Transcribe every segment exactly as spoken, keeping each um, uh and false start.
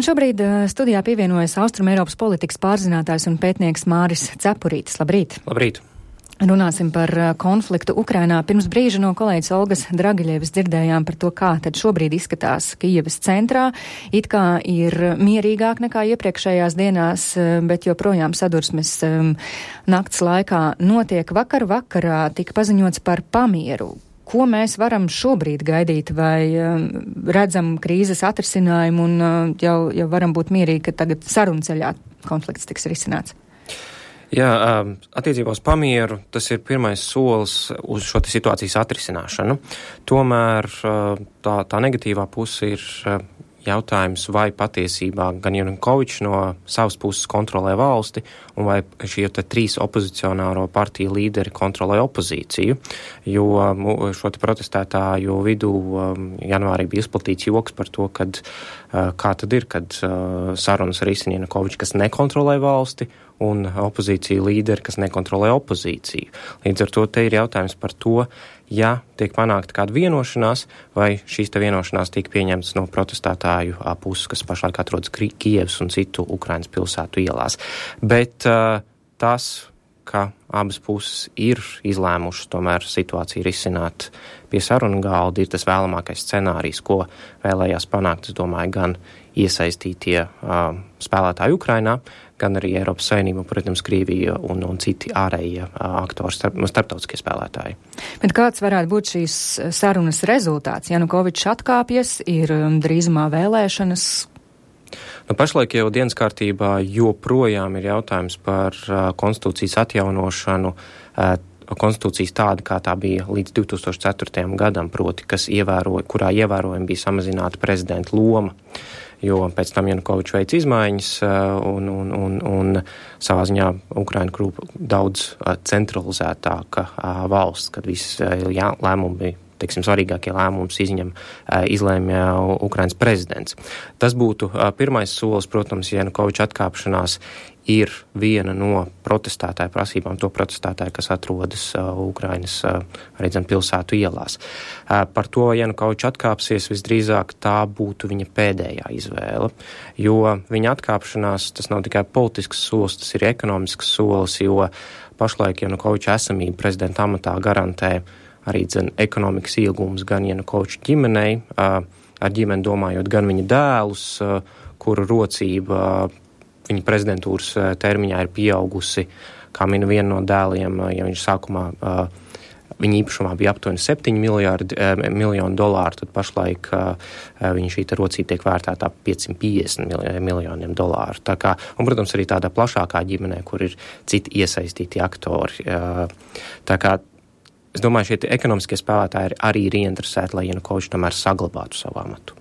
Man šobrīd studijā pievienojas Austrumeiropas politikas pārzinātājs un pētnieks Māris Cepurītis. Labrīt! Labrīt! Runāsim par konfliktu Ukrainā. Pirms brīža no kolēģis Olgas Dragiļevas dzirdējām par to, kā tad šobrīd izskatās Kijevas centrā. It kā ir mierīgāk nekā iepriekšējās dienās, bet joprojām sadursmes nakts laikā notiek. Vakar vakarā tika paziņots par pamieru. Ko mēs varam šobrīd gaidīt, vai redzam krīzes atrisinājumu un jau, jau varam būt mierīgi, ka tagad sarunceļā konflikts tiks risināts? Jā, attiecībā uz pamieru tas ir pirmais solis uz šo situācijas atrisināšanu. Tomēr tā, tā negatīvā puse ir jautājums, vai patiesībā gan Janukovičs no savas puses kontrolē valsti, un vai šie te trīs opozicionāro partiju līderi kontrolē opozīciju, jo šo te protestētāju vidū janvārī bija izplatīts joks par to, kad, kā tad ir, kad sarunas risina Janukovičs, kas nekontrolē valsti, un opozīcija līderi, kas nekontrolē opozīciju. Līdz ar to te ir jautājums par to, ja tiek panākta kāda vienošanās, vai šīs te vienošanās tiek pieņemtas no protestētāju puses, kas pašlaik atrodas Kijevas un citu Ukrainas pilsētu ielās. Bet uh, tas, ka abas puses ir izlēmušas tomēr situāciju risināt pie sarunu galda, ir tas vēlamākais scenārijs, ko vēlējās panākt, es domāju, gan iesaistītie uh, spēlētāji Ukrainā, gan arī Eiropas Savienība, protams, Krievija un, un citi ārējie uh, aktori, starp, starptautiskie spēlētāji. Bet kāds varētu būt šīs sarunas rezultāts? Janukovičs atkāpjas, ir drīzumā vēlēšanas. Nu, pašlaik jau dienas kārtībā joprojām ir jautājums par uh, konstitūcijas atjaunošanu, uh, konstitūcijas tāda, kā tā bija līdz divi tūkstoši ceturtajam gadam, proti, kas ievēro, kurā ievērojami bija samazināta prezidenta loma. Jo pēc tam Janukovičs veic izmaiņas un, un, un, un savā ziņā Ukraina kļuva daudz centralizētāka valsts, kad viss jā, lēmumi bija, teiksim, svarīgākie lēmumus izņem, izlēma Ukrainas prezidents. Tas būtu pirmais solis, protams, Janukoviča atkāpšanās ir viena no protestētāju prasībām, to protestētāju, kas atrodas uh, Ukrainas, uh, arī zem pilsētu ielās. Uh, par to, vai Janukovičs atkāpsies, visdrīzāk tā būtu viņa pēdējā izvēle, jo viņa atkāpšanās, tas nav tikai politisks solis, tas ir ekonomisks solis, jo pašlaik Janukoviča esamība prezidenta amatā garantē arī dzen ekonomikas iegūmus gan Janukoviča ģimenei, uh, ar ģimeni domājot gan viņa dēlus, uh, kuru rocība uh, viņa prezidentūras termiņā ir pieaugusi, kā mina viena no dēliem, ja viņš sākumā, viņa īpašumā bija aptuveni septiņi miljārdi, miljoni dolāru, tad pašlaik viņa šī rocība tiek vērtētā piecsimt piecdesmit miljoniem dolāru. Tā kā, un, protams, arī tādā plašākā ģimenē, kur ir citi iesaistīti aktori. Tā kā, es domāju, šie ekonomiskie spēlētāji arī ir ieinteresēti, lai Janukovičs tomēr saglabātu savu amatu.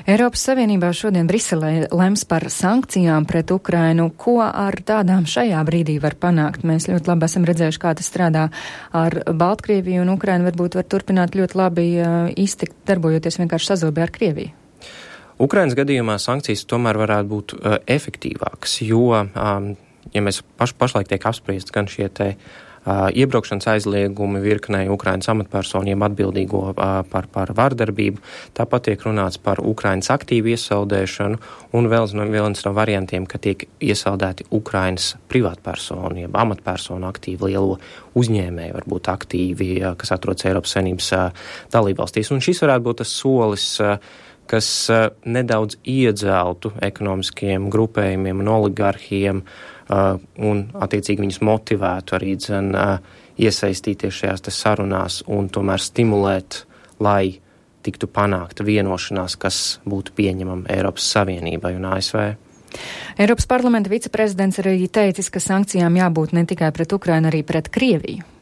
Eiropas Savienībā šodien Briselē lems par sankcijām pret Ukrainu. Ko ar tādām šajā brīdī var panākt? Mēs ļoti labi esam redzējuši, kā tas strādā ar Baltkrieviju, un Ukraina varbūt var turpināt ļoti labi iztikt, darbojoties vienkārši sazobē ar Krieviju. Ukrainas gadījumā sankcijas tomēr varētu būt uh, efektīvākas, jo, um, ja mēs paš, pašlaik tiek apspriest gan šie te Uh, iebraukšanas aizliegumi virknei Ukrainas amatpersoniem atbildīgo uh, par, par vardarbību. Tāpat tiek runāts par Ukrainas aktīvu iesaldēšanu un vēl no, viens no variantiem, ka tiek iesaldēti Ukrainas privātpersonu, jeb amatpersonu aktīvi lielo uzņēmēju, varbūt aktīvi, uh, kas atrodas Eiropas Savienības uh, dalībvalstīs. Un šis varētu būt tas solis, uh, kas uh, nedaudz iedzeltu ekonomiskiem grupējumiem un oligarhiem, Uh, un attiecīgi viņus motivētu arī dzen, uh, iesaistīties šajās te sarunās un tomēr stimulēt, lai tiktu panākta vienošanās, kas būtu pieņemama Eiropas Savienībai un A S V. Eiropas parlamenta viceprezidents arī teicis, ka sankcijām jābūt ne tikai pret Ukrainu, arī pret Krieviju.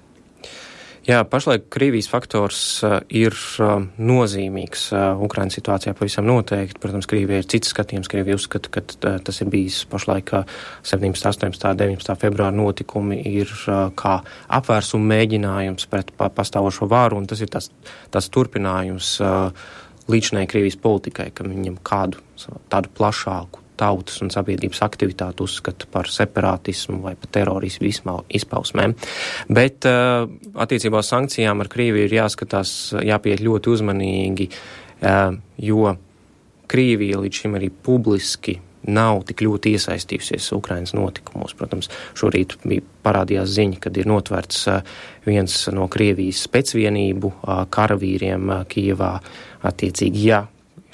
Jā, pašlaik Krievijas faktors uh, ir uh, nozīmīgs uh, Ukrainas situācijā pavisam noteikti. Protams, Krievija ir cits skatījums. Krievija uzskata, ka uh, tas ir bijis pašlaik uh, septiņpadsmitā, astoņpadsmitā, deviņpadsmitā februāra notikumi ir uh, kā apvērsuma mēģinājums pret pa, pastāvošo vāru, un tas ir tas, tas turpinājums uh, līdzinai Krievijas politikai, ka viņam kādu tādu plašāku tautas un sabiedrības aktivitāti uzskata par separātismu vai par terorismu izpausmēm. Bet uh, attiecībā uz sankcijām ar Krieviju ir jāskatās, jāpieiet ļoti uzmanīgi, uh, jo Krievija līdz šim arī publiski nav tik ļoti iesaistījusies Ukrainas notikumos. Protams, šorīt bija parādījās ziņa, kad ir notverts viens no Krievijas specvienību karavīriem Kijevā. Attiecīgi, ja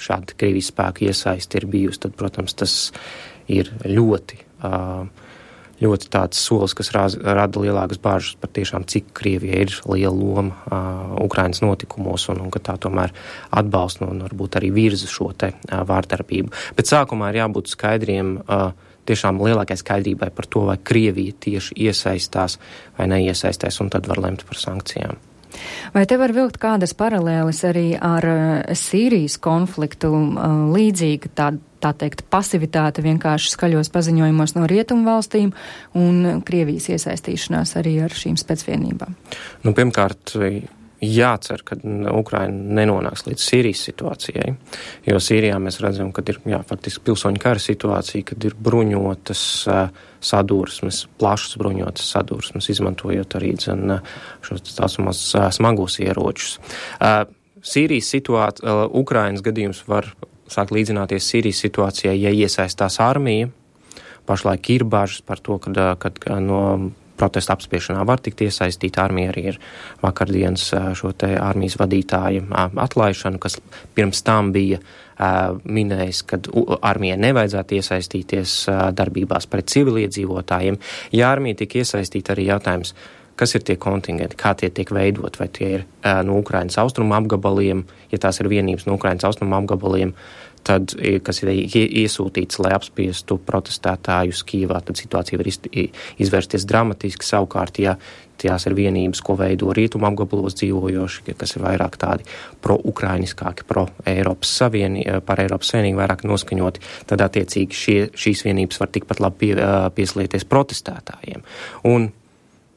šāda Krievijas spēka iesaisti ir bijusi, tad, protams, tas ir ļoti, ļoti tāds solis, kas rada lielākas bāžas par tiešām, cik Krievija ir liela loma Ukrainas notikumos un, un ka tā tomēr atbalsta un varbūt arī virza šo te vārdarbību. Bet sākumā ir jābūt skaidriem, tiešām lielākai skaidrībai par to, vai Krievija tieši iesaistās vai neiesaistās, un tad var lemt par sankcijām. Vai te var vilkt kādas paralēles arī ar Sīrijas konfliktu, līdzīga tā, tā teikt, pasivitāte vienkārši skaļos paziņojumos no rietumu valstīm un Krievijas iesaistīšanās arī ar šīm specvienībām? Nu, pirmkārt, jācer, ka Ukraina nenonāks līdz Sīrijas situācijai, jo Sīrijā mēs redzam, ka ir, jā, faktiski pilsoņu kara situācija, kad ir bruņotas uh, sadursmes, plašas bruņotas sadursmes, izmantojot arī dzen, šos tāsumos uh, smagos ieročus. Uh, Sīrijas situācija, uh, Ukrainas gadījums var sākt līdzināties Sīrijas situācijai, ja iesaistās armija. Pašlaik ir bažas par to, kad, kad no protesta apspiešanā var tikt iesaistīta armija. Arī ir vakardienas šo te armijas vadītāju atlaišanu, kas pirms tam bija minējis, ka armijai nevajadzētu iesaistīties darbībās pret civiliedzīvotājiem. Ja armija tik iesaistīta, arī jautājums, kas ir tie kontingenti, kā tie tiek veidot, vai tie ir no Ukrainas austrumu apgabaliem, ja tās ir vienības no Ukrainas austrumu apgabaliem, tad, kas ir iesūtīts, lai apspiestu protestētājus Kijevā, tad situācija var izvērsties dramatiski. Savukārt, ja tās ir vienības, ko veido rietumu apgabalos dzīvojoši, kas ir vairāk tādi pro-ukrainiskāki, pro-Eiropas Savienību, par Eiropas Savienību vairāk noskaņoti, tad attiecīgi šie, šīs vienības var tikpat labi pie, pieslieties protestētājiem. Un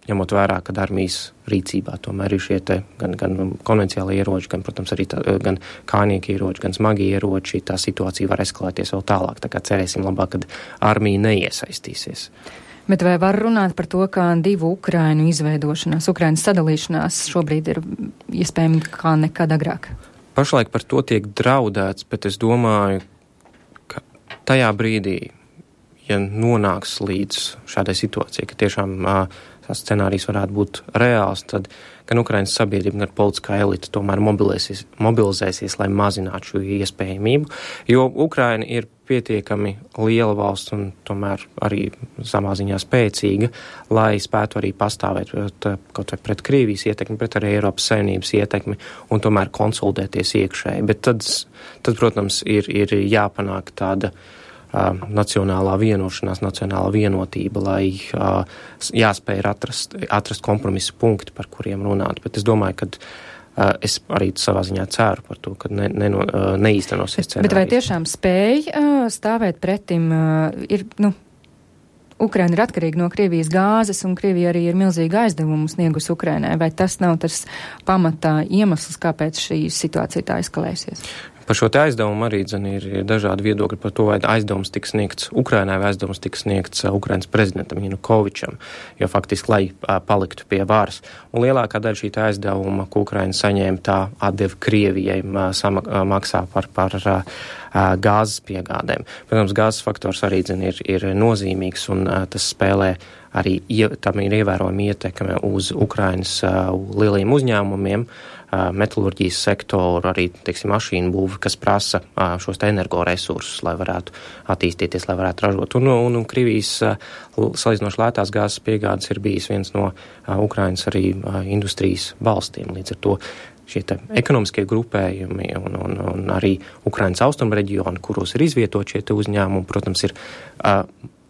ņemot vērā, ka armijas rīcībā tomēr ir šie te gan, gan konvenciāli ieroči, gan, protams, arī tā, gan kājnieki ieroči, gan smagi ieroči, tā situācija var eskalēties vēl tālāk. Tā kā cerēsim labāk, kad armija neiesaistīsies. Bet vai var runāt par to, ka divu Ukrainu izveidošanās, Ukrainas sadalīšanās šobrīd ir iespējami kā nekad agrāk? Pašlaik par to tiek draudēts, bet es domāju, ka tajā brīdī, ja nonāks līdz šādai situācijai, ka tiešām uh, tās scenārijs varētu būt reāls, tad gan Ukrainas sabiedrība, gan politiskā elita tomēr mobilēsies, mobilizēsies, lai mazinātu šo iespējamību, jo Ukraina ir pietiekami liela valsts un tomēr arī samā ziņā spēcīga, lai spētu arī pastāvēt kaut vai pret Krievijas ietekmi, pret arī Eiropas Savienības ietekmi un tomēr konsolidēties iekšēji. Bet tad, tad protams, ir, ir jāpanāk tāda Uh, nacionālā vienošanās, nacionālā vienotība, lai uh, jāspēj atrast, atrast kompromisu punkti, par kuriem runāt. Bet es domāju, ka uh, es arī savā ziņā ceru par to, ka ne, ne, uh, neīstenosies scenārijs. Bet vai tiešām spēj uh, stāvēt pretim? Uh, ir, nu, Ukraina ir atkarīga no Krievijas gāzes, un Krievija arī ir milzīga aizdevumu sniegus Ukrainai. Vai tas nav tas pamatā iemesls, kāpēc šī situācija tā eskalēsies? Par šo te aizdevumu arī dzen, ir, ir dažādi viedokļi par to, vai aizdevums tiks sniegts Ukrainai, vai aizdevums tiks sniegts Ukrainas prezidentam Janukovičam, jo faktiski, lai a, paliktu pie varas. Un lielākā daļa šī aizdevuma, ko Ukraina saņēma, tā atdeva Krievijai maksā par, par a, a, gāzes piegādēm. Protams, gāzes faktors arī dzen, ir, ir nozīmīgs, un a, tas spēlē arī, tam ir ievērojama ietekme uz Ukrainas a, lieliem uzņēmumiem, metalurģijas sektoru, arī, teiksim, mašīnu būvi, kas prasa šos te energoresursus, lai varētu attīstīties, lai varētu ražot. Un, un, un Krievijas salīdzinoši lētās gāzes piegādes ir bijis viens no Ukrainas arī industrijas balstiem. Līdz ar to šie te ekonomiskie grupējumi un, un, un arī Ukrainas austrumu reģioni, kuros ir izvietot šie te uzņēmumi, protams, ir uh,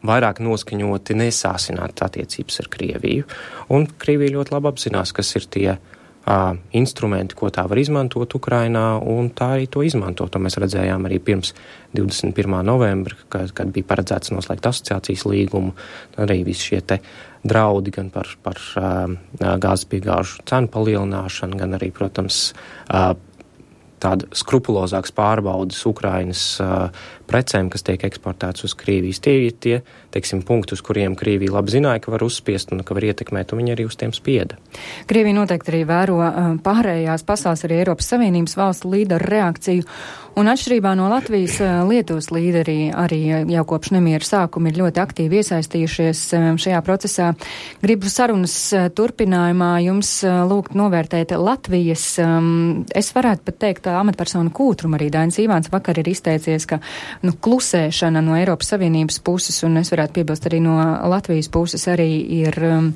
vairāk noskaņoti nesāsināt attiecības ar Krieviju. Un Krievija ļoti labi apzinās, kas ir tie Uh, instrumenti, ko tā var izmantot Ukrainā, un tā arī to izmanto. To mēs redzējām arī pirms divdesmit pirmā novembra, kad, kad bija paredzēts noslēgt asociācijas līgumu, arī visi šie te draudi gan par, par uh, gāzes piegāžu cenu palielināšanu, gan arī, protams, uh, tāda skrupulozāks pārbaudas Ukrainas uh, precēm, kas tiek eksportētas uz Krievijas. Tie ir tie, teiksim, punkti, uz kuriem Krievija labi zināja, ka var uzspiest un ka var ietekmēt, un viņi arī uz tiem spieda. Krievija noteikti arī vēro pārējās pasaules, arī Eiropas Savienības valstu līderu reakciju, un atšķirībā no Latvijas, Lietuvas līderi arī jau kopš nemiera sākuma ir ļoti aktīvi iesaistījušies šajā procesā. Gribu sarunas turpinājumā jums lūgt novērtēt Latvijas, es varētu pat teikt, amatpersonu kūtrumu. Arī Dainis Ivāns vakar ir izteicies, ka nu, klusēšana no Eiropas Savienības puses, un es varētu piebilst arī no Latvijas puses, arī ir um,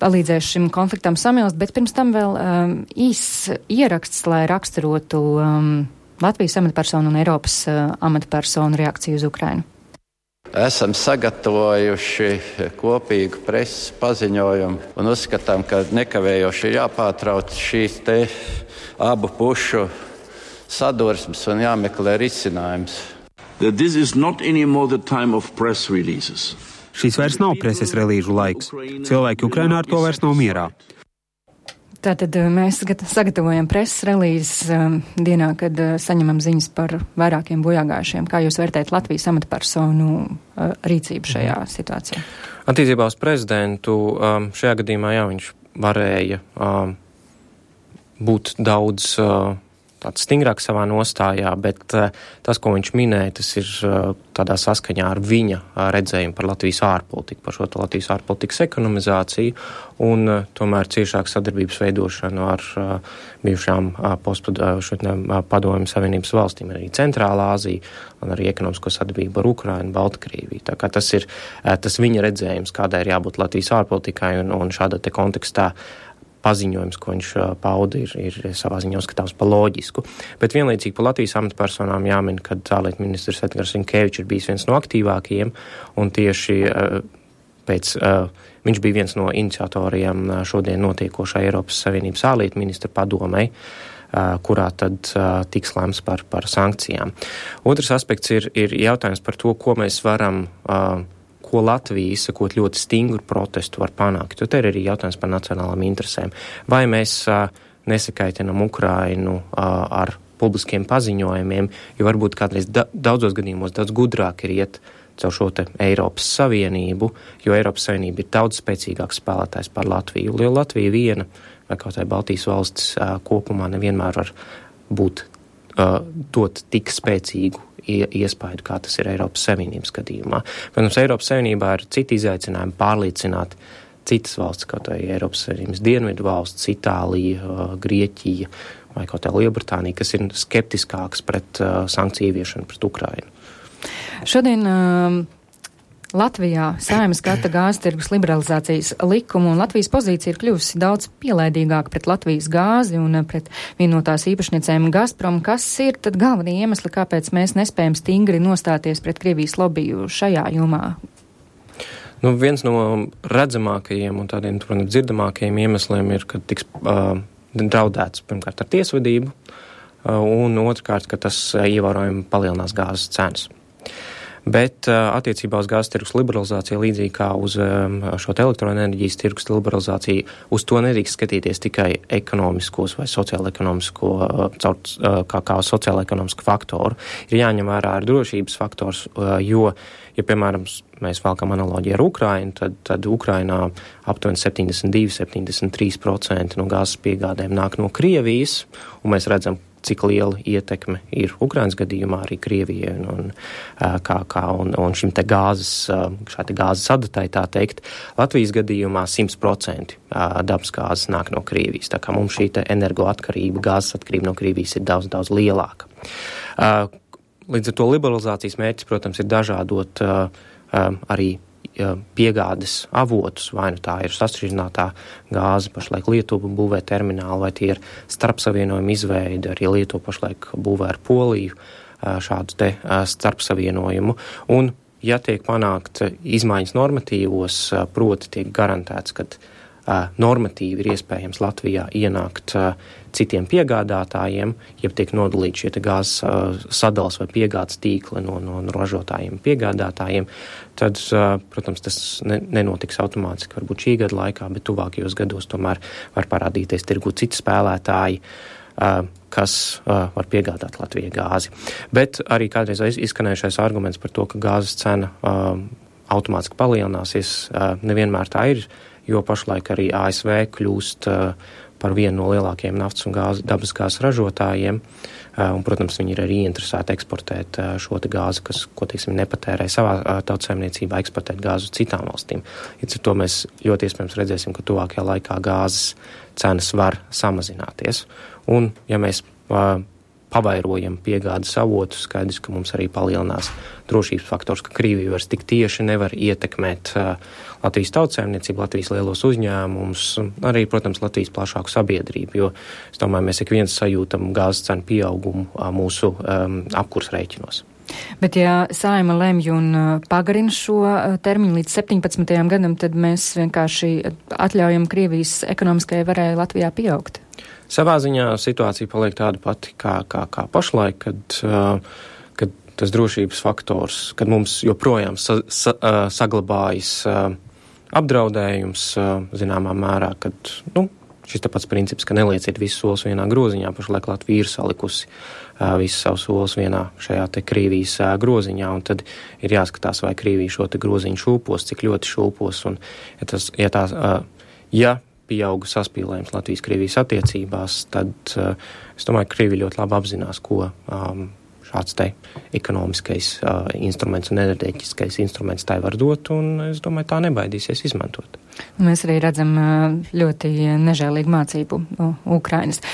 palīdzējuši šim konfliktam samilst, bet pirms tam vēl um, īs ieraksts, lai raksturotu um, Latvijas amatpersonu un Eiropas uh, amatpersonu reakciju uz Ukrainu. Esam sagatavojuši kopīgu preses paziņojumu un uzskatām, ka nekavējoši ir jāpārtrauc šīs te abu pušu sadursmes un jāmeklē risinājums. Šīs vairs nav preses relīžu laiks. Cilvēki Ukrainā ar to vairs nav mierā. Tātad mēs sagatavojam preses relīzes um, dienā, kad uh, saņemam ziņas par vairākiem bojāgājušiem. Kā jūs vērtējat Latvijas amatpersonu uh, rīcību šajā situācijā? Attiecībā uz prezidentu um, šajā gadījumā, jā, viņš varēja um, būt daudz uh, tāds stingrāks savā nostājā, bet uh, tas, ko viņš minēja, tas ir uh, tādā saskaņā ar viņa uh, redzējumu par Latvijas ārpolitiku, par šo Latvijas ārpolitikas ekonomizāciju un uh, tomēr ciešāku sadarbības veidošanu ar uh, bijušām uh, postpadomju savienības valstīm, arī Centrālā Āzija un arī ekonomisko sadarbību ar Ukrainu, Baltkrieviju. Tā kā tas ir uh, tas viņa redzējums, kādai ir jābūt Latvijas ārpolitikai, un, un šādā te kontekstā paziņojums, ko viņš pauda, ir, ir savā ziņā uzskatāms par loģisku. Bet vienlaicīgi par Latvijas amatpersonām jāmin, ka ārlietu ministrs Edgars Rinkevičs ir bijis viens no aktīvākajiem, un tieši uh, pēc, uh, viņš bija viens no iniciatoriem šodien notiekošā Eiropas Savienības ārlietu ministra padomei, uh, kurā tad uh, tiks lēmts par, par sankcijām. Otrs aspekts ir, ir jautājums par to, ko mēs varam uh, ko Latvija, izsakot ļoti stingru protestu, var panākt. Jo te ir arī jautājums par nacionālām interesēm. Vai mēs uh, nesakaitinam Ukrainu uh, ar publiskiem paziņojumiem, jo varbūt kādreiz da- daudzos gadījumos daudz gudrāk ir iet caur šo te Eiropas Savienību, jo Eiropas Savienība ir daudz spēcīgāks spēlētājs par Latviju. Jo Latvija viena, vai kaut vai Baltijas valstis uh, kopumā nevienmēr var būt, uh, dot tik spēcīgu iespaidu, kā tas ir Eiropas Savienības gadījumā. Protams, Eiropas Savienībā ir citi izaicinājumi pārliecināt citas valsts, kaut vai Eiropas Savienības dienvidu valsts, Itālija, Grieķija vai kaut vai Lielbritānija, kas ir skeptiskāks pret uh, sankciju ieviešanu pret Ukrainu. Šodien uh, Latvijā Saeimas skata gāzes tirgus liberalizācijas likumu, un Latvijas pozīcija ir kļuvusi daudz pielaidīgāka pret Latvijas gāzi un pret vienu no tās īpašniecēm Gazprom. Kas ir tad galvenie iemesli, kāpēc mēs nespējam stingri nostāties pret Krievijas lobiju šajā jomā? Nu, viens no redzamākajiem un tādiem, protams, dzirdamākajiem iemesliem ir, ka tiks uh, draudēts pirmkārt ar tiesvedību, uh, un otrkārt, ka tas uh, ievērojami palielinās gāzes cenas. Bet uh, attiecībā uz gāzes tirgus liberalizāciju, līdzīgi kā uz um, šo elektroenerģijas tirgus liberalizāciju, uz to nedrīkst skatīties tikai ekonomiskos vai sociāla-ekonomisko, uh, caur, uh, kā, kā sociāla-ekonomisku faktoru. Ir jāņem vērā ar drošības faktors, uh, jo, ja, piemēram, mēs valkam analoģiju ar Ukrainu, tad, tad Ukrainā aptuveni septiņdesmit divi līdz septiņdesmit trīs procenti no gāzes piegādēm nāk no Krievijas, un mēs redzam, cik liela ietekme ir Ukrainas gadījumā arī Krievijai un, kā, kā, un, un šim te gāzes, šā te gāzes adatai, tā teikt. Latvijas gadījumā simt procenti dabas gāzes nāk no Krievijas, tā kā mums šī te energoatkarība, gāzes atkarība no Krievijas ir daudz, daudz lielāka. Līdz ar to liberalizācijas mērķis, protams, ir dažādot arī piegādes avotus, vai nu tā ir sašķidrinātā gāze, pašlaik Lietuva būvē terminālu, vai tie ir starpsavienojumu izveide, arī Lietuva pašlaik būvē ar Poliju šādu te starpsavienojumu. Un, ja tiek panākt izmaiņas normatīvos, proti tiek garantēts, ka normatīvi ir iespējams Latvijā ienākt citiem piegādātājiem, ja tiek nodalīti šie gāzes sadales vai piegādes tīkli no, no ražotājiem piegādātājiem, tad, protams, tas ne, nenotiks automātiski varbūt šī gada laikā, bet tuvākajos gados tomēr var parādīties tirgu citi spēlētāji. kas var piegādāt Latvijai gāzi. Bet arī kādreiz izskanējušais arguments par to, ka gāzes cena automātiski palielināsies, nevienmēr tā ir, jo pašlaik arī A S V kļūst par vienu no lielākajiem naftas un gāzi, dabas gāzes ražotājiem, un, protams, viņi ir arī interesēti eksportēt šo te gāzi, kas, ko, teiksim, nepatērē savā tautsaimniecībā, eksportēt gāzi uz citām valstīm. Līdz ar to mēs ļoti iespējams redzēsim, ka tuvākajā laikā gāzes cenas var samazināties. Un, ja mēs uh, pavairojam piegādes avotus, skaidrs, ka mums arī palielinās drošības faktors, ka Krievija vairs tik tieši nevar ietekmēt uh, Latvijas tautsaimniecību, Latvijas lielos uzņēmumus, arī, protams, Latvijas plašāku sabiedrību, jo, es domāju, mēs ik viens sajūtam gāzes cenu pieaugumu uh, mūsu um, apkurs rēķinos. Bet ja Saeima lemj un pagarina šo termiņu līdz septiņpadsmitajam gadam, tad mēs vienkārši atļaujam Krievijas ekonomiskajai varai Latvijā pieaugt. Savā ziņā situācija paliek tāda pati kā, kā, kā pašlaik, kad, uh, kad tas drošības faktors, kad mums joprojām sa, sa, uh, saglabājas uh, apdraudējums, uh, zināmā mērā, kad, nu, šis tāpats princips, ka nelieciet visus solis vienā groziņā, pašlaik Latvija ir salikusi uh, visus savus solis vienā šajā te Krievijas uh, groziņā, un tad ir jāskatās, vai Krievija šo te groziņu šūpos, cik ļoti šūpos, un ja tas, ja tās, uh, ja pieauga saspīlējums Latvijas-Krievijas attiecībās, tad uh, es domāju, ka Krievija ļoti labi apzinās, ko um, šāds te ekonomiskais uh, instruments un enerģētiskais instruments tai var dot, un es domāju, tā nebaidīsies izmantot. Mēs arī redzam uh, ļoti nežēlīgu mācību no Ukrainas.